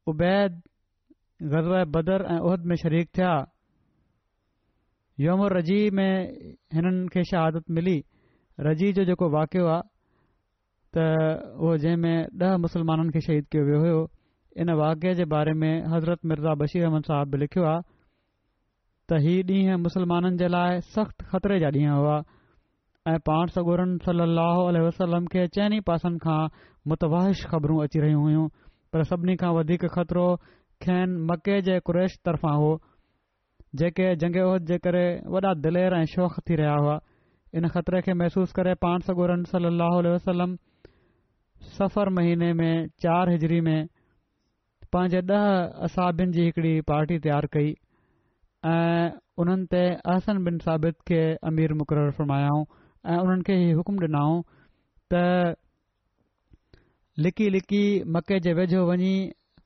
عبيد غزوه بدر ۽ احد ۾ شريڪ ٿيا. يوم الرجيع ۾ هنن کي شهادت ملي. رجيع جو جيڪو واقعو آ ته اهو جنهن ۾ ڏهه مسلمانن کي شهيد ڪيو ويو هيو، ان واقعي جي باري ۾ حضرت مرزا بشير احمد صاحب به لکيو آ ته هي ڏينهن مسلمانن جي لاء سخت خطري جا ڏينهن هئا ۽ پاڻ سڳورن صلي الله عليه وسلم کي چئني پاسن کان متوحش خبرون اچي رهيون هيون، پر سڀني کان وڌيڪ خطرو کين مڪي جي قريش طرفان هو، جيڪي جنگ احد جي ڪري وڏا دلير ۽ شوخ ٿي رهيا هئا. ان خطري کي محسوس ڪري پاڻ سڳورن صلي الله عليه وسلم صفر مهيني ۾ چار هجري ۾ پنهنجي ڏهه اصحابين جي هڪڙي پارٽي تيار ڪئي ۽ انهن تي احسن بن ثابت کي امير مقرر فرمايائون ۽ انهن کي هي حڪم ڏنائون ته لڪي لڪي مڪي جي ويجهو وڃي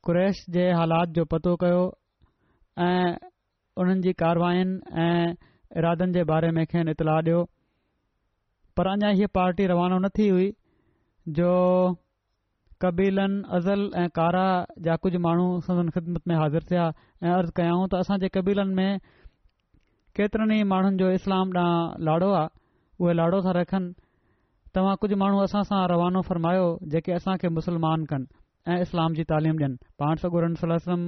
قريش جي حالات جو پتو ڪيو ۽ انهن جي ڪارواين ۽ ارادن جي باري ۾ کين اطلاع ڏيو. پر اڃا هيء پارٽي روانو نه ٿي هئي جو قبيلن ازل ۽ قاره جا ڪجهه ماڻهو سندن خدمت ۾ حاضر ٿيا ۽ عرض ڪيائون ته اسان جي قبيلن ۾ ڪيترن ئي ماڻهن جو اسلام ڏانهن لاڙو آ، اهي لاڙو ٿا رکن، توهان ڪجهه ماڻهو اسان سان روانو فرمايو جيڪي اسان کي مسلمان ڪن ۽ اسلام جي تعليم ڏين. پاڻ سڳورن صلي الله عليه وسلم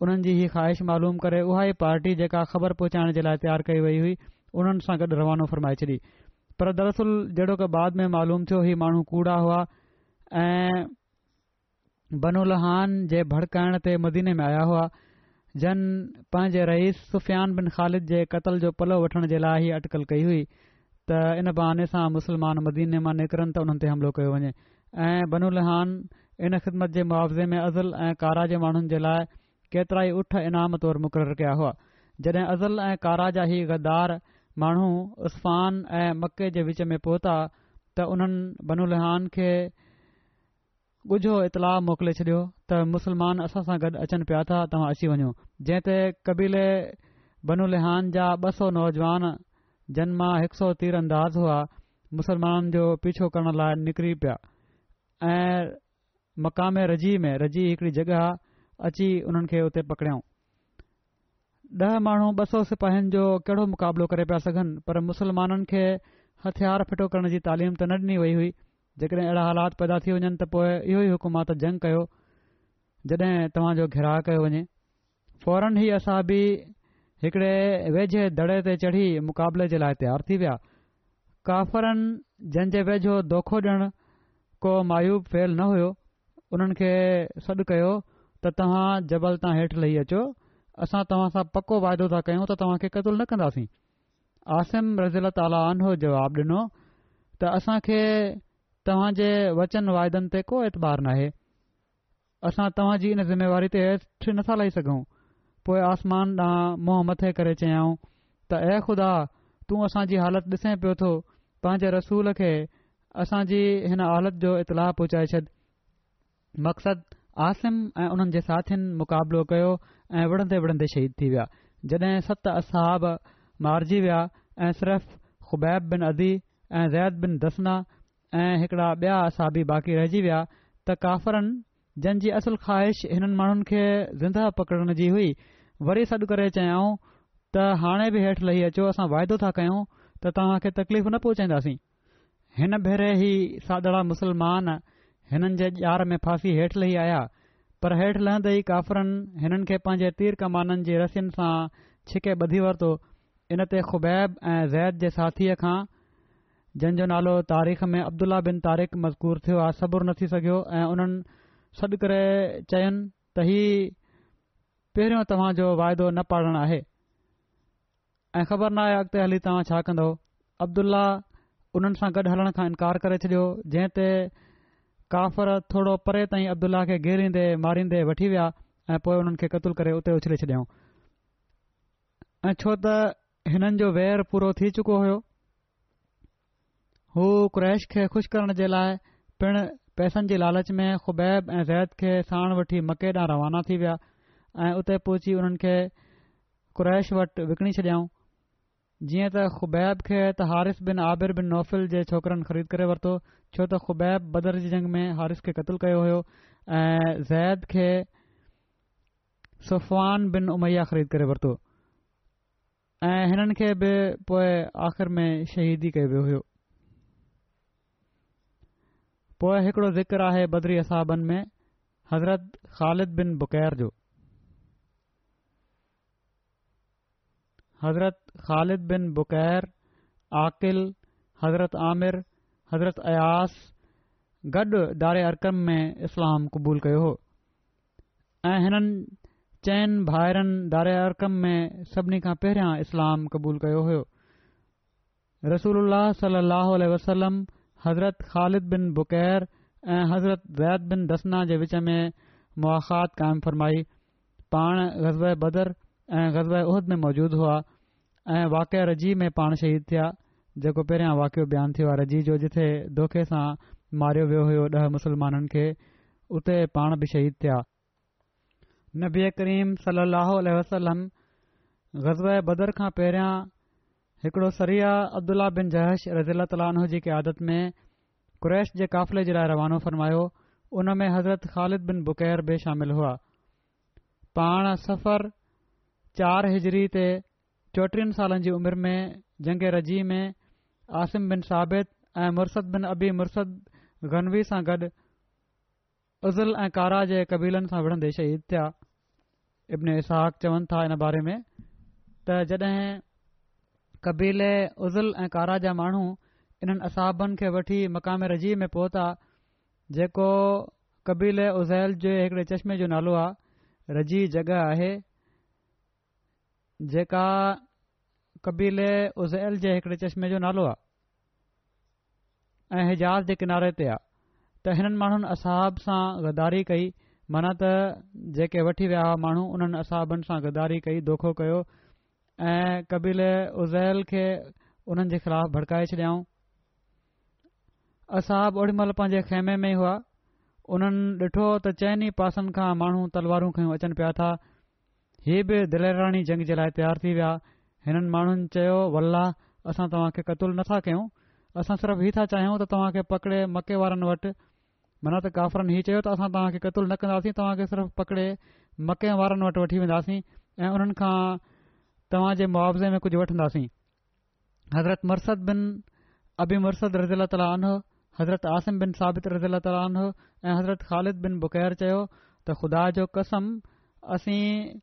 انهن جي هي خواهش معلوم ڪري اها ئي پارٽي جيڪا خبر پهچائڻ جي لاء تيار ڪئي وئي هئي انهن سان گڏ روانو فرمائي ڇڏي. پر دراصل جهڙوڪ بعد ۾ معلوم ٿيو هي ماڻهو ڪوڙا هئا ۽ بنو لحيان جي ڀڙڪائڻ تي مديني ۾ آيا هئا، جن پنهنجي رئيس سفيان بن خالد جي قتل جو پلو وٺڻ جي لاء هي اٽڪل ڪئي هئي ته ان بهاني سان مسلمان مديني مان نڪرن ته انهن تي حملو ڪيو وڃي ۽ بنو لحيان ان خدمت جي معاوضي ۾ عضل ۽ قاره جي ماڻهن جي لاء ڪيترائي اٺ انعام طور مقرر ڪيا هئا. جڏهن عضل ۽ قاره جا هي غدار ماڻهو عسفان ۽ مڪي جي وچ ۾ پهتا ته انهن بنو لحيان کي ڳجهو اطلاع موڪلي ڇڏيو ته مسلمان اسان سان گڏ اچن پيا ٿا، توهان اچي وڃو. جنهن تي قبيلي بنو لحيان جا ٻه سؤ نوجوان جن مان هڪ سؤ تير انداز هئا، مسلمانن جو پيڇو ڪرڻ لاء نڪري پيا ۽ مقام رجيع ۾، رجيع هڪڙي جڳهه آ، اچي انهن کي اتي پڪڙيائون. ڏهه ماڻهو ٻه سؤ سپاهين جو ڪهڙو مقابلو ڪري پيا سگهن، پر مسلمانن کي هٿيار ڦٽو ڪرڻ جي تعليم ته نه ڏني وئي هئي. جيڪڏهن اهڙا حالات پيدا ٿي وڃن ته پوء اهو ئي حڪم آ ته جنگ ڪيو جڏهن توهان جو گهيراء ڪيو وڃي. فوراً هي اصحابي هڪڙي ويجهي دڙي تي چڙهي مقابلي جي لاء تيار ٿي ويا. ڪافرن جن جي ويجهو دوکو ڏيڻ ڪو معيوب فعل نه هيو، انهن کي سڏ ڪيو ته توهان جبل تان هيٺ لهي اچو، اسان توهان سان پڪو واعدو ٿا ڪيون ته توهان کي قتل نه ڪنداسين. عاصم رضي الله تعالٰي عنه جواب ڏنو ته اسان کي توهان جي وچن واعدن تي ڪو اعتبار ناهي، اسان توهان جي ان ذميواري تي هيٺ نٿا لهي سگهون. پوء آسمان ڏانهن منهن مٿي ڪري چيائون ته اي خدا! تون اسان جي حالت ڏسين پيو ٿو، پنهنجي رسول کي اسان جي هن حالت جو اطلاع پهچائي ڇڏ. مقصد، عاصم ۽ انهن جي ساٿين مقابلو ڪيو ۽ وڙهندي وڙهندي شهيد ٿي ويا. جڏهن ست اصحاب مارجي ويا ۽ صرف خبيب بن عدي ۽ زيد بن دثنه ۽ هڪڙا ٻيا اصحابي باقي رهجي ويا ته ڪافرن جن جي اصل خواهش هنن ماڻهن کي زندهه پڪڙڻ جي هئي وري سڏ ڪري چيائون ته هاڻي به هيٺ لهي اچو اسان واعدو ٿا ڪيون ته توهان کي تڪليف نه پهچائينداسين. هن ڀيري هي سادڙا مسلمان هنن جي ڄار ۾ ڦاسي هيٺ لهي آيا پر هيٺ لهندي ئي ڪافرن هنن کي پنهنجي تير ڪمانن جي رسين سان ڇڪي ٻڌي ورتو ان تي خبيب ۽ زيد جي ساٿيء کان جن جو نالو تاريخ ۾ عبدالله بن طارق مذڪور ٿيو آهي، صبر نه ٿي سگهيو ۽ انهن سڏ ڪري چين ته هي پهريون توهان جو واعدو نه پاڙڻ آهي ۽ خبر ناهي اڳتي هلي توهان ڇا ڪندؤ. عبدالله انهن سان گڏ هلڻ کان انڪار ڪري ڇڏيو، جنهن تي ڪافر ٿورو پري تائين عبدالله کي گهيريندي ماريندي وٺي ويا ۽ پوء انهن کي قتل ڪري اتي اڇلي ڇڏيائون ۽ ڇو ته هنن جو وير پورو ٿي چڪو هيو. هو قريش کي خوش ڪرڻ جي لاء پڻ پئسن جي لالچ ۾ خبيب ۽ زيد کي ساڻ وٺي مڪي ڏانهن روانا ٿي ويا ۽ اتي پهچي انهن کي قريش وٽ وڪڻي ڇڏيائون. جيئن ته خبيب کي ته حارث بن عابر بن نوفل جي ڇوڪرن خريد ڪري ورتو، ڇو ته خبيب بدر جي جنگ ۾ حارث کي قتل ڪيو هيو ۽ زيد کي صفوان بن اميه خريد ڪري ورتو. ۽ هنن کي به پوء آخر ۾ شهيد ئي ڪيو ويو هيو. پوء هڪڙو ذڪر آهي بدري اصحابن ۾ حضرت خالد بن بڪير جو. حضرت خالد بن بڪير، عاقل، حضرت عامر، حضرت اياس گڏ دار ارقم ۾ اسلام قبول ڪيو هو. ۽ هنن چئن ڀائرن دار ارقم ۾ سڀني کان پهريان اسلام قبول ڪيو هيو. رسول الله صلي الله عليه وسلم حضرت خالد بن بڪير ۽ حضرت زيد بن دثنه جي وچ ۾ مواخات قائم فرمائي. پاڻ غزوه بدر ۽ غزوه احد ۾ موجود هئا ۽ واقعه رجيع ۾ پاڻ شهيد ٿيا جيڪو پهريان واقعو بيان ٿيو آهي رجيع جو جٿي دوکي سان ماريو ويو هيو ڏهه مسلمانن کي اتي پاڻ به شهيد ٿيا. نبي ڪريم صلي الله عليه وسلم غزوه بدر کان پهريان هڪڙو سريه عبدالله بن جحش رضي الله تعالٰي عنه جي قيادت ۾ قريش جي قافلي جي لاء روانو فرمايو ان ۾ حضرت خالد بن بڪير به شامل هئا پاڻ صفر چار هجري تي چوٽيهن سالن جي عمر ۾ جنگ رجيع ۾ عاصم بن ثابت ۽ مرثد بن ابي مرثد غنوي سان گڏ عضل ۽ قاره جي قبيلن سان وڙهندي شهيد ٿيا. ابن اسحاق چون ٿا ان باري ۾ ته جڏهن قبيلي عضل ۽ قاره جا ماڻهو انهن اصحابن کي وٺي مقام رجيع ۾ پهتا جيڪو قبيلي عضيل جي هڪڙي چشمي جو نالو آهي رجيع جڳهه آهي جيڪا قبيلي عذيل جي هڪڙي چشمي جو نالو آهي ۽ حجاز جي ڪناري تي آهي ته هنن ماڻهن اصحاب سان غداري ڪئي، معنيٰ ته جيڪي وٺي ويا هئا ماڻهو انهن اصحابن سان غداري ڪئي، دوکو ڪيو ۽ قبيلي عذيل کي انهن جي خلاف ڀڙڪائي ڇڏيائون. اصحاب اوڏي مهل پنهنجي خيمي ۾ ئي هئا. انهن ڏٺو ته چئني پاسن کان ماڻهو تلوارون کنيون اچن پيا ٿا. هي به دليراڻي جنگ جي لاء تيار ٿي ويا. هنن ماڻهن چيو، والله اسان توهان کي قتل نه ٿا ڪيون، اسان صرف هي ٿا چاهيون ته توهان کي پڪڙي مڪي وارن وٽ، معنيٰ ته ڪافرن هي چيو ته اسان توهان کي قتل نه ڪنداسين، توهان کي صرف پڪڙي مڪي وارن وٽ وٺي وينداسين ۽ انهن کان توهان جي معاوضي ۾ ڪجهه وٺنداسين. حضرت مرثد بن ابي مرثد رضي الله تعالٰي عنه، حضرت عاصم بن ثابت رضي الله تعالٰي عنه ۽ حضرت خالد بن بڪير چيو ته خدا جو قسم اسين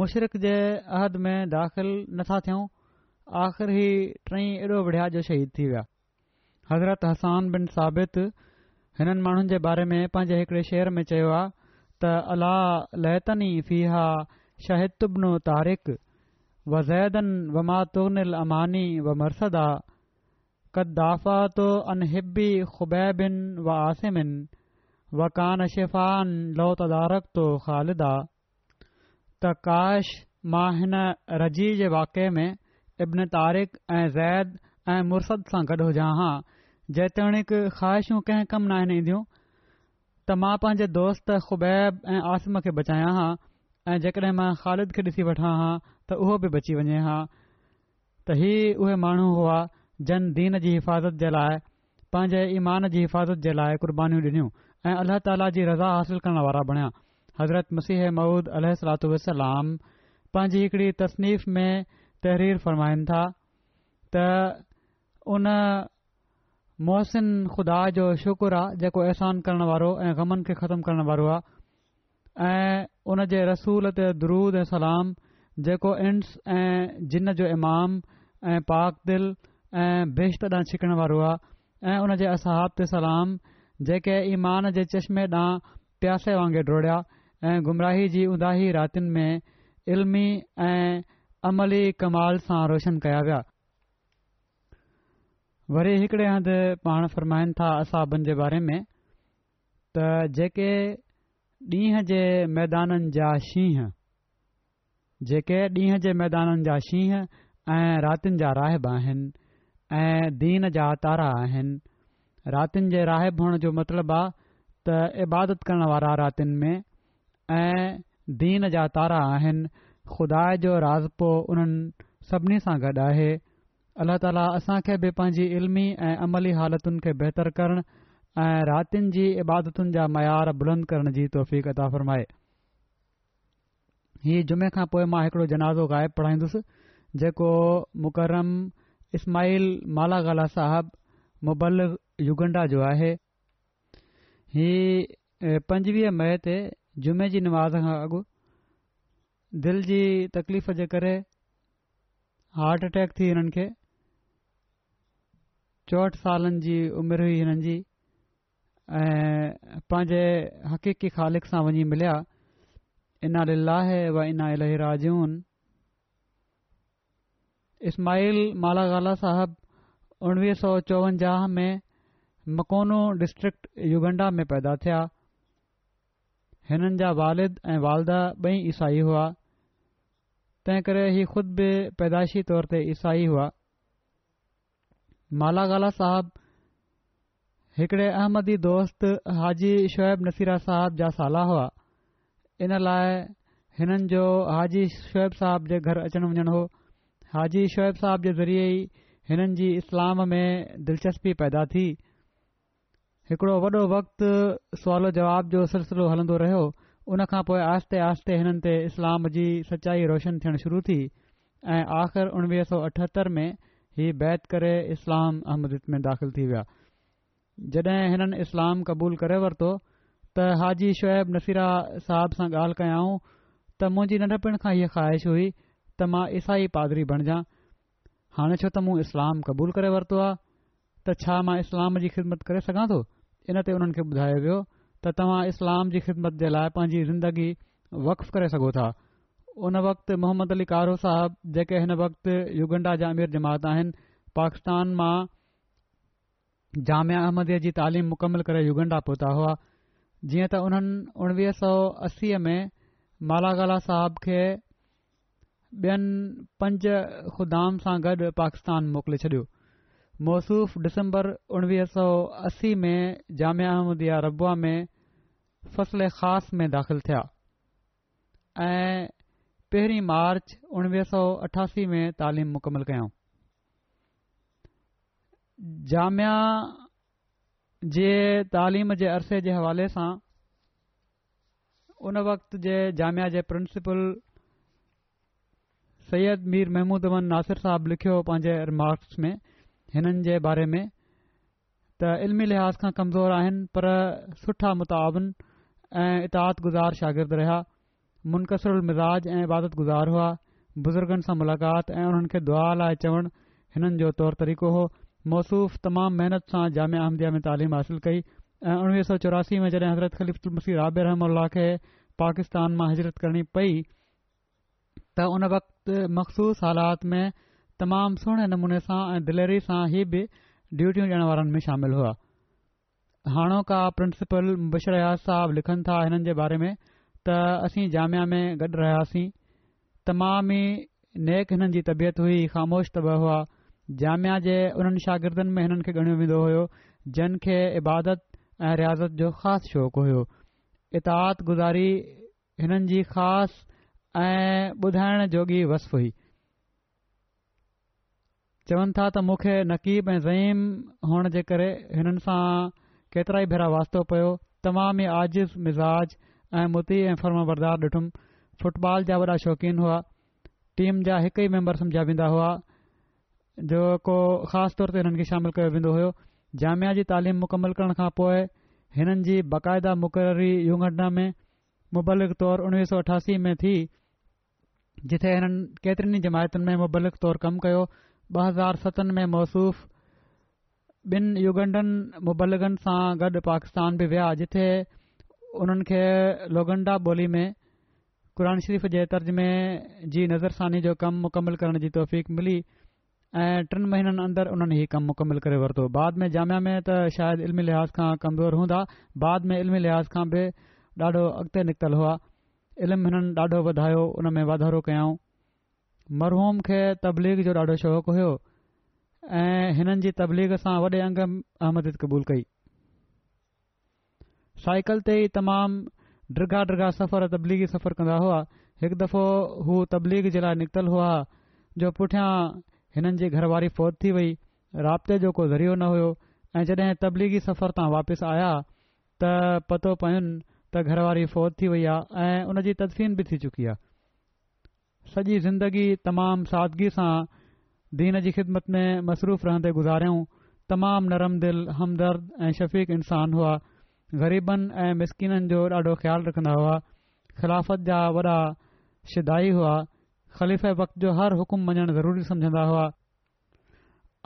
مشرڪ جي عهد ۾ داخل نٿا ٿيون. آخر هي ٽئي ايڏو وڙهيا جو شهيد ٿي ويا. حضرت حسان بن ثابت هنن ماڻهن جي باري ۾ پنهنجي هڪڙي شعر ۾ چيو آ ته الا ليتني فيها شهدت ابن طارق وزيدا وما تغني الاماني ومرثدا قد دافعت عن حبي خبيب وعاصم وڪان شفاء لو تدارڪت خالدا. ته ڪاش مان هن رجيع جي واقعي ۾ ابن طارق ۽ زيد ۽ مرثد سان گڏ هجان ها، جيتوڻيڪ خواهشون ڪنهن ڪم ناهن اينديون، ته مان پنهنجي دوست خبيب ۽ عاصم کي بچايان ها ۽ جيڪڏهن مان خالد کي ڏسي وٺان ها ته اهو به بچي وڃي ها. ته هي اهي ماڻهو هئا جن دين جي حفاظت جي لاء پنهنجي ايمان جي حفاظت جي لاء قربانيون ڏنيون ۽ الله تعاليٰ جي رضا حاصل ڪرڻ وارا بڻيا. حضرت مسيح موعود عليه الصلوة والسلام پنهنجي هڪڙي تصنيف ۾ تحرير فرمائن ٿا ته ان محسن خدا جو شڪر آ جيڪو احسان ڪرڻ وارو ۽ غمن کي ختم ڪرڻ وارو آ ۽ ان جي رسول تي درود ۽ سلام جيڪو انس ۽ جن جو امام ۽ پاڪ دل ۽ بهشت ڏانهن ڇڪڻ وارو آ ۽ ان جي اصحاب تي سلام جيڪي ايمان جي چشمي ڏانهن پياسي وانگي ڊوڙيا ۽ گمراهي جي اونداهي راتين ۾ علمي ۽ عملي ڪمال سان روشن ڪيا ويا. وري هڪڙي هنڌ پاڻ فرمائن ٿا اصحابن جي باري ۾ ته جيڪي ڏينهن جي ميدانن جا شينهن، جيڪي ڏينهن جي ميدانن جا شينهن ۽ راتين جا راهب آهن ۽ دين جا تارا آهن. راتين جي راهب هئڻ جو مطلب آ ته عبادت ڪرڻ وارا راتين ۾ ۽ دين جا تارا آهن. خدا جو راضپو انهن سڀني سان گڏ آهي. الله تعاليٰ اسان کي به پنهنجي علمي ۽ عملي حالتن کي بهتر ڪرڻ ۽ راتين جي عبادتن جا معيار بلند ڪرڻ جي توفيق عطا فرمائي. هي جمعي کان پوء مان هڪڙو جنازو غائب پڙهائيندس جيڪو مڪرم اسماعيل مالاغالا صاحب مبلغ يوگنڊا جو آهي. هي پنجويهه مئي تي جمعي جي نماز کان اڳ دل جي تڪليف جي ڪري هارٽ اٽيڪ ٿي هنن کي. چوهٺ سالن جي عمر هئي هنن جي ۽ پنهنجي حقيقي خالق سان وڃي مليا. انا لله و انا اليه راجعون. اسماعيل مالاغالا صاحب اڻويهه سؤ چوونجاهه ۾ مڪونو ڊسٽرڪٽ يوگنڊا ۾ پيدا ٿيا. هنن جا والد ۽ والده ٻئي عيسائي هئا، تنهن ڪري هي خود به پيدائشي طور تي عيسائي هئا. مالاغالا صاحب هڪڙي احمدي دوست حاجي شعيب نصيره صاحب جا سالا هئا، ان لاء هنن جو حاجي شعيب صاحب جي گهر اچڻ وڃڻ هو. حاجي شعيب صاحب جي ذريعي ئي هنن جي اسلام ۾ دلچسپي پيدا ٿي. هڪڙو وڏو وقت سوال و جواب جو سلسلو هلندو رهيو. ان کان پوء آهستي آهستي هنن تي اسلام جي سچائي روشن ٿيڻ شروع ٿي ۽ آخر اڻويهه سؤ اٺهتر ۾ هي بيعت ڪري اسلام احمديت ۾ داخل ٿي ويا. جڏهن هنن اسلام قبول ڪري ورتو ته حاجي شعيب نصيره صاحب سان ڳالهه ڪيائون ته منهنجي ننڍپڻ کان هيء خواهش هئي ته مان عيسائي پادري بڻجان، هاڻي ڇو ته مون اسلام قبول ڪري ورتو آهي ته ڇا مان اسلام جي خدمت ڪري سگهان ٿو؟ ان تي انهن کي ٻڌايو ويو ته توهان اسلام جي خدمت جي لاء پنهنجي زندگي وقف ڪري سگهو ٿا. ان وقت محمد علي ڪارو صاحب جيڪي هن وقت يوگنڊا جا امير جماعت آهن، پاڪستان مان جامعه احمديه جي تعليم مڪمل ڪري يوگنڊا پهتا هئا. جيئن ته انهن اڻويهه سؤ اسي ۾ مالاغالا صاحب کي ٻين پنج خدام سان گڏ پاڪستان موڪلي ڇڏيو. موصوف ڊسمبر اڻويهه سؤ اسي ۾ جامعه احمديه ربوه ۾ فصل خاص ۾ داخل ٿيا ۽ پهرين مارچ اڻويهه سؤ اٺاسي ۾ تعليم مڪمل ڪيائون. جامعه جي تعليم جي عرصي جي حوالي سان ان وقت جي جامعه جي پرنسپل سيد مير محمود احمد ناصر صاحب لکيو پنهنجي رمارڪس ۾ هنن جي باري ۾ ته علمي لحاظ کان ڪمزور آهن پر سٺا متعاون ۽ اطاعت گذار شاگرد رهيا. منڪسر المزاج ۽ عبادت گذار هئا. بزرگن سان ملاقات ۽ انهن کي دعا لاء چوڻ هنن جو طور طريقو هو. موصوف تمام محنت سان جامعه احمديه ۾ تعليم حاصل ڪئي ۽ اڻويهه سؤ چوراسي ۾ جڏهن حضرت خليفة المسيح رابع رحمه الله کي پاڪستان مان هجرت ڪرڻي پئي ته ان وقت مخصوص حالات ۾ تمام سهڻي نموني سان ۽ دليري سان هي به ڊيوٽيون ڏيڻ وارن ۾ شامل هئا. هاڻوڪا پرنسپل مبشر حيات صاحب لکن ٿا هنن جي باري ۾ ته اسين جامعه ۾ گڏ رهياسين. تمام ئي نيڪ هنن جي طبيعت هئي، خاموش طبع هئا. جامعه جي انهن شاگردن ۾ هنن کي ڳڻيو ويندو هيو جن کي عبادت ۽ رياضت جو خاص شوق هيو. اطاعت گذاري هنن جي خاص ۽ ٻڌائڻ جوڳي وصف هئي. چون ٿا ته مون کي نقيب ۽ زعيم هئڻ جي ڪري هنن سان ڪيترائي ڀيرا واسطو پيو. تمام ئي عاجز مزاج ۽ مطيع ۽ فرمانبردار ڏٺم. فٽبال جا وڏا شوقين هئا. ٽيم جا هڪ ئي ميمبر سمجهيا ويندا هئا جو ڪو خاص طور تي هنن کي شامل ڪيو ويندو هيو. جامعه جي تعليم مڪمل ڪرڻ کان پوء هنن جي باقاعده مقرري يوگنڊا ۾ مبلغ طور اڻويهه سؤ اٺاسي ۾ ٿي. جتي هنن ڪيترين ئي جماعتن ۾ مبلغ طور ڪم ڪيو. ٻه هزار ستن ۾ موصوف ٻن يوگنڊن مبلغن سان گڏ پاڪستان به ويا جتي انهن کي لوگنڊا ٻولي ۾ قرآن شريف جي ترجمي جي نظرثاني جو ڪم مڪمل ڪرڻ جي توفيق ملي ۽ ٽن مهينن اندر انهن هي ڪم مڪمل ڪري ورتو. بعد ۾ جامعه ۾ ته شايد علمي لحاظ کان ڪمزور هوندا بعد ۾ علمي لحاظ کان به ڏاڍو اڳتي نڪتل هئا. علم هنن ڏاڍو وڌايو ان ۾ واڌارو ڪيائون. مرحوم کي تبليغ جو ڏاڍو شوق هيو ۽ هنن جي تبليغ سان وڏي انگ احمديت قبول ڪئي. سائيڪل تي ئي تمام ڊگها ڊگها سفر تبليغي سفر ڪندا هئا. هڪ دفعو هو تبليغ جي لاء نڪتل هئا جو پٺيان هنن جي گهر واري فوت ٿي وئي. رابطي جو ڪو ذريعو نه هيو ۽ جڏهن تبليغي سفر تان واپس آيا ته پتو پين ته گهر واري فوت ٿي وئي آ ۽ ان جي تدفين به ٿي چڪي آ. سڄي زندگي تمام سادگي سان دين جي خدمت ۾ مصروف رهندي گذاريائون. تمام نرم دل، همدرد ۽ شفيق انسان هئا. غريبن ۽ مسڪينن جو ڏاڍو خيال رکندا هئا. خلافت جا وڏا شيدائي هئا. خليفه وقت جو هر حڪم مڃڻ ضروري سمجهندا هئا.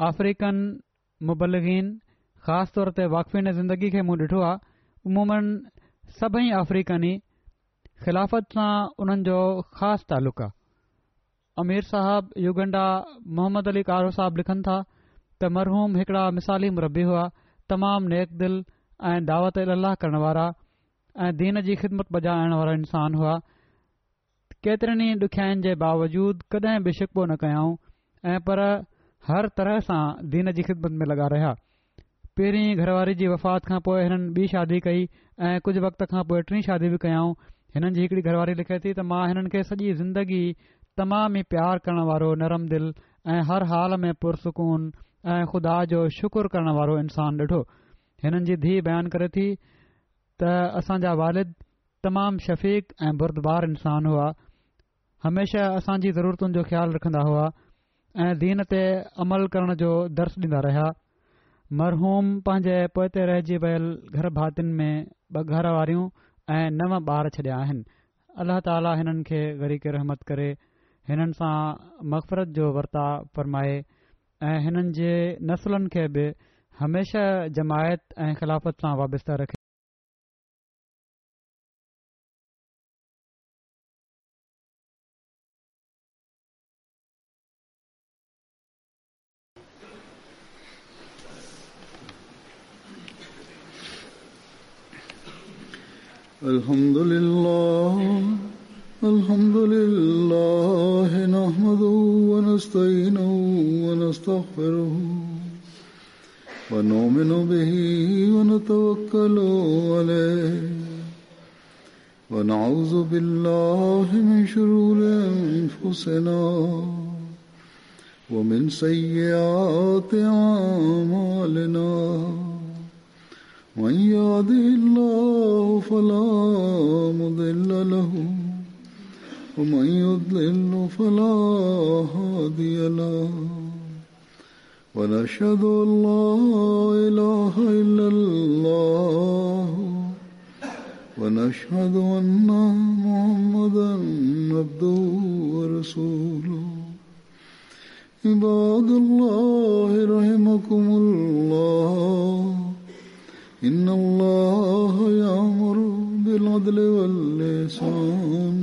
آفريڪن مبلغين خاص طور تي واقفين زندگي کي مون ڏٺو آ عموماً سڀئي آفريڪني خلافت سان انهن جو خاص تعلق آ. امير صاحب يوگنڊا محمد علي ڪارو صاحب لکن ٿا ته مرحوم هڪڙا مثالي مربي هئا، تمام نيڪ دل ۽ دعوت الي الله ڪرڻ وارا ۽ دين جي خدمت بجا آڻڻ وارا انسان هئا. ڪيترين ئي ڏکيائين جي باوجود ڪڏهن به شڪوو نه ڪيائون ۽ پر هر طرح سان دين جي خدمت ۾ لڳا رهيا. پهرين گهرواري جي وفات کان پوء هنن ٻي شادي ڪئي ۽ ڪجهه وقت کان پوء ٽين شادي به ڪيائون. هنن جي هڪڙي گهرواري لکي ٿي ته مان هنن کي سڄي زندگي تمام ئي پيار ڪرڻ وارو نرم دل ۽ هر حال ۾ پرسڪون ۽ خدا جو شڪر ڪرڻ وارو انسان ڏٺو. هنن جي ڌيء بيان ڪري ٿي ته اسان جا والد تمام شفيق ۽ بردبار انسان هئا. هميشه اسان جي ضرورتن جو خيال رکندا هئا ۽ دين تي عمل ڪرڻ جو درس ڏيندا رهيا. مرحوم پنهنجي پوئتي رهجي ويل گهر ڀاتين ۾ ٻه گهر واريون ۽ نو ٻار ڇڏيا آهن. الله تعاليٰ هنن کي غريق رحمت ڪري، هنن سان مغفرت جو ورتاء فرمائي ۽ هنن جي نسلن کي به هميشه جماعت ۽ خلافت سان وابسته رکي. الحمد لله الحمد لله نحمده ونستعينه ونستغفره ونؤمن به ونتوكل عليه ونعوذ بالله من شرور أنفسنا ومن سيئات أعمالنا من يهده الله فلا مضل له ومن يضلل فلا هادي له ونشهد أن لا إله إلا الله ونشهد أن محمدا عبده ورسوله. عباد الله رحمكم الله، إن الله يأمر بالعدل والإحسان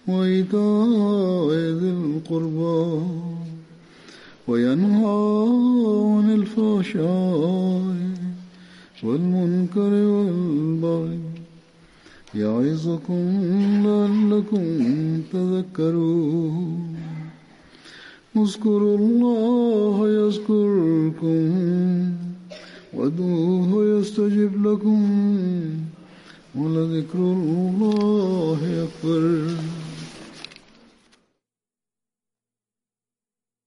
وإيتاء ذي القربى وينهى عن الفحشاء والمنكر والبغي يعظكم لعلكم تذكرون. اذكروا الله يذكركم وادعوه يستجب لكم ولذكر الله أكبر.